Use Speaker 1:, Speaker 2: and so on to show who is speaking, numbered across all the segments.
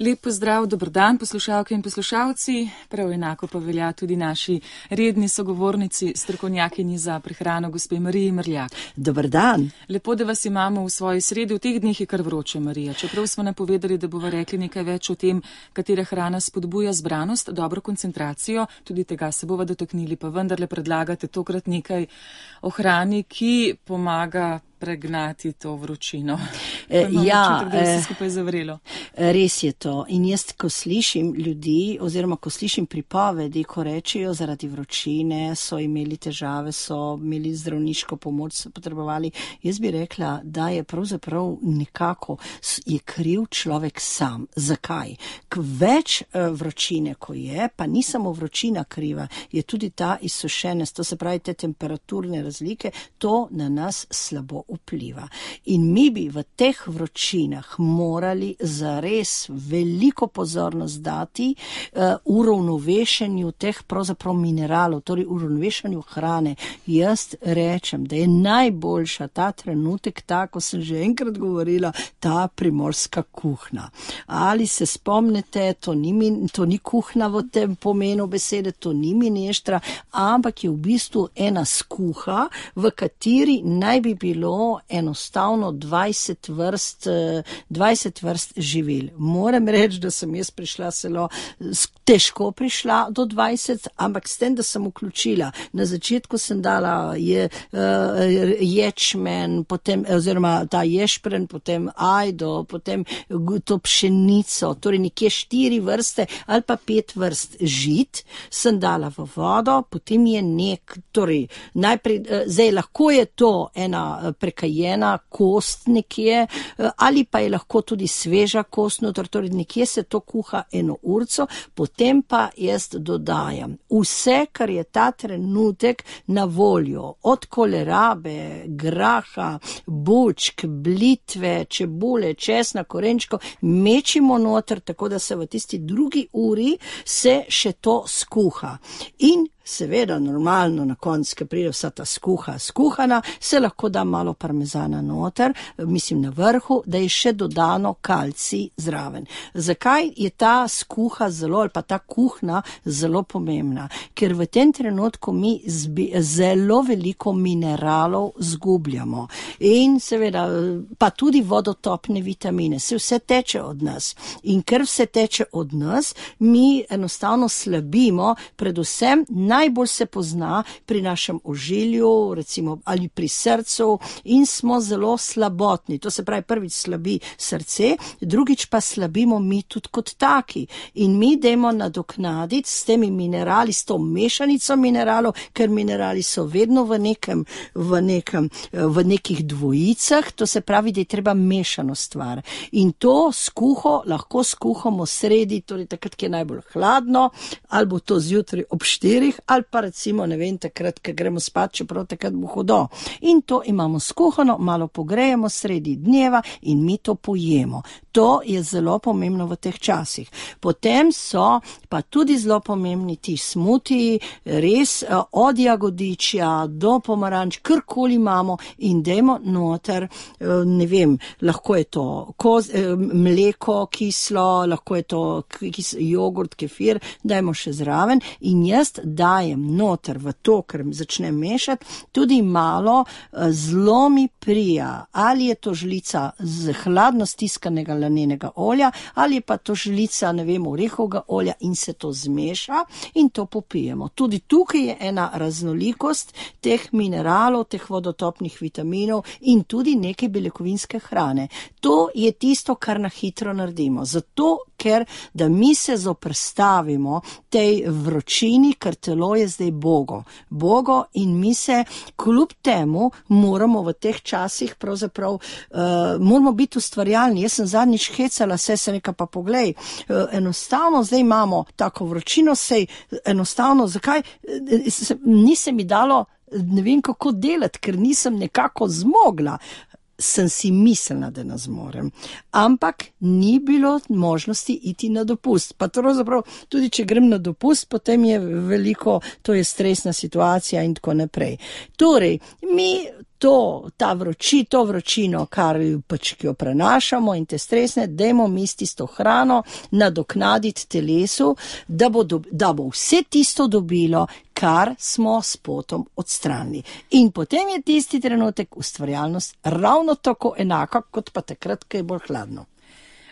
Speaker 1: Lep pozdrav, dober dan, poslušalke in poslušalci. Prav enako pa velja tudi naši redni sogovornici, strokovnjakinji za prehrano, gospe Mariji Mrljak.
Speaker 2: Dober dan.
Speaker 1: Lepo, da vas imamo v svoji sredi. V teh dneh je kar vroče, Marija. Čeprav smo napovedali, da bova rekli nekaj več o tem, katera hrana spodbuja zbranost, dobro koncentracijo, tudi tega se bova dotaknili, pa vendarle predlagate tokrat nekaj o hrani, ki pomaga pregnati to vročino.
Speaker 2: Ja,
Speaker 1: da je vse skupaj zavrelo.
Speaker 2: Res je to. In jaz, ko slišim ljudi, oziroma ko slišim pripovedi, ko rečejo zaradi vročine, so imeli težave, so imeli zdravniško pomoč, so potrebovali, jaz bi rekla, da je pravzaprav nekako je kriv človek sam. Zakaj? Več vročine, ko je, pa ni samo vročina kriva, je tudi ta izsušenost, to se pravi te temperaturne razlike, to na nas slabo vpliva. In mi bi v teh vročinah morali zares veliko pozornost dati uravnovešenju teh pravzaprav mineralov, torej uravnovešenju hrane. Jaz rečem, da je najboljša ta trenutek, tako sem že enkrat govorila, ta primorska kuhna. Ali se spomnite, to ni kuhna v tem pomenu besede, to ni mineštra, ampak je v bistvu ena skuha, v kateri naj bi bilo enostavno 20 vrst živil. Moram reči, da sem jaz prišla težko prišla do 20, ampak s tem, da sem vključila. Na začetku sem dala ječmen, potem, oziroma ta ješpren, potem ajdo, potem to pšenico, torej nekje 4 vrste ali pa 5 vrst žit sem dala v vodo, potem je torej najprej, zdaj lahko je to ena prekajena kost nekje, ali pa je lahko tudi sveža kost, torej nekje se to kuha 1 urco, potem pa jaz dodajam vse, kar je ta trenutek na voljo, od kolerabe, graha, bučk, blitve, čebule, česna, korenčkov, mečimo noter, tako da se v tisti drugi uri se še to skuha. In seveda, normalno, na koncu, ko pride vsa ta skuhana, se lahko da malo parmezana noter, mislim na vrhu, da je še dodano kalcij zraven. Zakaj je ta skuha zelo, ali pa ta kuhna zelo pomembna? Ker v tem trenutku mi zelo veliko mineralov zgubljamo. In seveda, pa tudi vodotopne vitamine, se vse teče od nas. In ker vse teče od nas, mi enostavno slabimo, predvsem najbolj se pozna pri našem ožilju, recimo, ali pri srcu, in smo zelo slabotni. To se pravi, prvič slabi srce, drugič pa slabimo mi tudi kot taki. In mi dajmo nadoknaditi s temi minerali, s to mešanico mineralov, ker minerali so vedno v nekih dvojicah, to se pravi, da je treba mešano stvar. In to skuho lahko skuhamo sredi, torej takrat, ki je najbolj hladno, ali bo to zjutraj ob 4, ali pa recimo, ne vem, takrat, ko gremo spat, čeprav takrat bo hudo. In to imamo skuhano, malo pogrejemo sredi dneva in mi to pojemo. To je zelo pomembno v teh časih. Potem so pa tudi zelo pomembni ti smutiji, res od jagodičja do pomaranč, karkoli imamo, in dajmo noter, ne vem, lahko je to mleko kislo, lahko je to jogurt, kefir, dajmo še zraven, in jaz dajem noter v to, ker začnem mešati, tudi malo zelo mi prija, ali je to žlica z hladno stiskanega lanenega olja, ali je pa to žlica, ne vem, orehovega olja, in se to zmeša in to popijemo. Tudi tukaj je ena raznolikost teh mineralov, teh vodotopnih vitaminov in tudi nekaj beljakovinske hrane. To je tisto, kar na hitro naredimo. Zato, ker da mi se zoprstavimo tej vročini, ker telo je zdaj bogo, in mi se kljub temu moramo v teh časih pravzaprav moramo biti ustvarjalni. Jaz sem zadnjič hecala, se neka pa poglej, enostavno zdaj imamo tako vročino, enostavno, zakaj ni se mi dalo, ne vem kako delati, ker nisem nekako zmogla. Sem si mislila, da ne zmorem. Ampak ni bilo možnosti iti na dopust. Pa pravzaprav tudi, če grem na dopust, potem je veliko, to je stresna situacija in tako naprej. Torej, mi to vročino, kar pač ki jo prenašamo in te stresne, dajmo mi s tisto hrano nadoknaditi telesu, da bo vse tisto dobilo, kar smo s potom odstranili. In potem je tisti trenutek ustvarjalnost ravno tako enaka, kot pa takrat, ko je bolj hladno.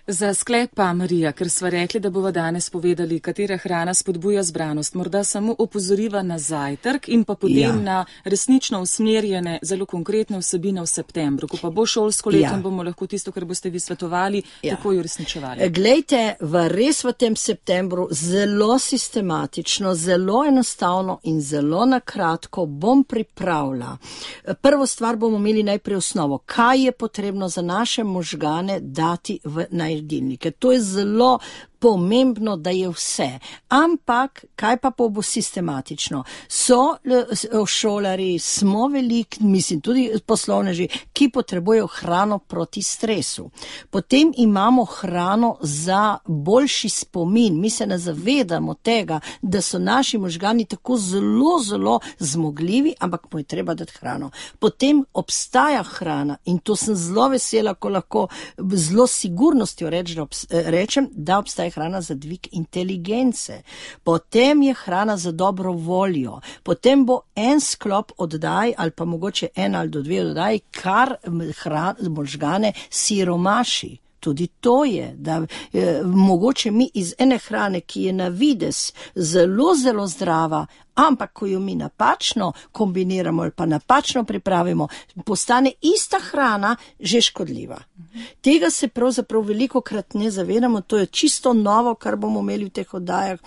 Speaker 1: Za sklep pa, Marija, ker sva rekli, da bova danes povedali, katera hrana spodbuja zbranost, morda samo opozoriva na zajtrk in pa potem na resnično usmerjene, zelo konkretne vsebine v septembru, ko pa bo šolsko leto in bomo lahko tisto, kar boste vi svetovali, takoj uresničevali.
Speaker 2: Glejte, res v tem septembru zelo sistematično, zelo enostavno in zelo nakratko bom pripravila. Prvo stvar bomo imeli najprej osnovo, kaj je potrebno za naše možgane dati v jedilnike. To je zelo pomembno, da je vse. Ampak, kaj pa bo sistematično? So šolari, smo veliki, mislim tudi poslovneži, ki potrebujejo hrano proti stresu. Potem imamo hrano za boljši spomin. Mi se ne zavedamo tega, da so naši možgani tako zelo zmogljivi, ampak mu je treba dati hrano. Potem obstaja hrana in to sem zelo vesela, ko lahko zelo sigurnostjo rečem, da obstaja hrana za dvig inteligence. Potem je hrana za dobro voljo. Potem bo en sklop oddaj ali pa mogoče en ali do dve oddaj, kar možgane siromaši. Tudi to je, da mogoče mi iz ene hrane, ki je na vides zelo zdrava, ampak ko jo mi napačno kombiniramo ali pa napačno pripravimo, postane ista hrana že škodljiva. Tega se pravzaprav velikokrat ne zavedamo, to je čisto novo, kar bomo imeli v teh oddajah.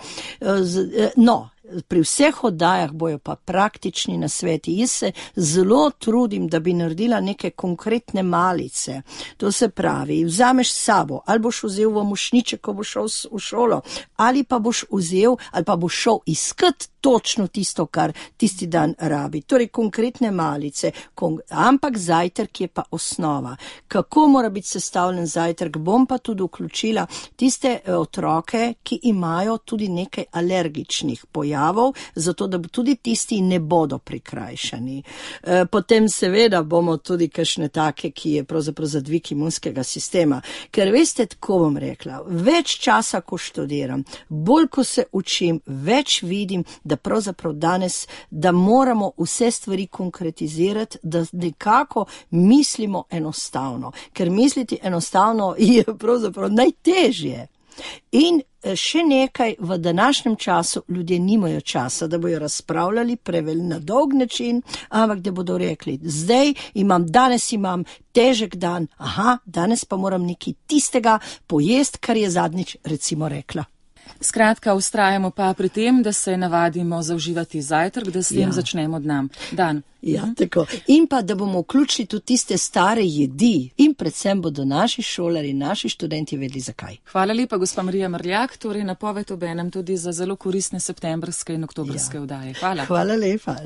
Speaker 2: Pri vseh oddajah bojo pa praktični nasveti. Jaz se zelo trudim, da bi naredila neke konkretne malice. To se pravi, vzameš s sabo, ali boš vzel v mošnjiček, ko boš šel v šolo, ali pa boš vzel, ali pa boš šel iskat točno tisto, kar tisti dan rabi. Torej konkretne malice, ampak zajtrk je pa osnova. Kako mora biti sestavljen zajtrk? Bom pa tudi vključila tiste otroke, ki imajo tudi nekaj alergičnih pojavov, zato da tudi tisti ne bodo prikrajšani. Potem seveda bomo tudi kakšne take, ki je pravzaprav za dvig imunskega sistema. Ker veste, tako bom rekla, več časa, ko študiram, bolj ko se učim, več vidim, da pravzaprav danes, da moramo vse stvari konkretizirati, da nekako mislimo enostavno. Ker misliti enostavno je pravzaprav najtežje. In še nekaj, v današnjem času ljudje nimajo časa, da bojo razpravljali prevelj na dolg način, ampak da bodo rekli, danes imam težek dan, danes pa moram nekaj tistega pojesti, kar je zadnjič recimo rekla.
Speaker 1: Skratka, vztrajamo pa pri tem, da se navadimo zauživati zajtrk, da s tem začnemo dan.
Speaker 2: Ja, tako. In pa, da bomo vključili tudi tiste stare jedi in predvsem bodo naši šolari, naši študenti vedeli zakaj.
Speaker 1: Hvala lepa, gospa Marija Mrljak, torej napoved obenem tudi za zelo koristne septembrske in oktobrske oddaje. Hvala.
Speaker 2: Hvala lepa.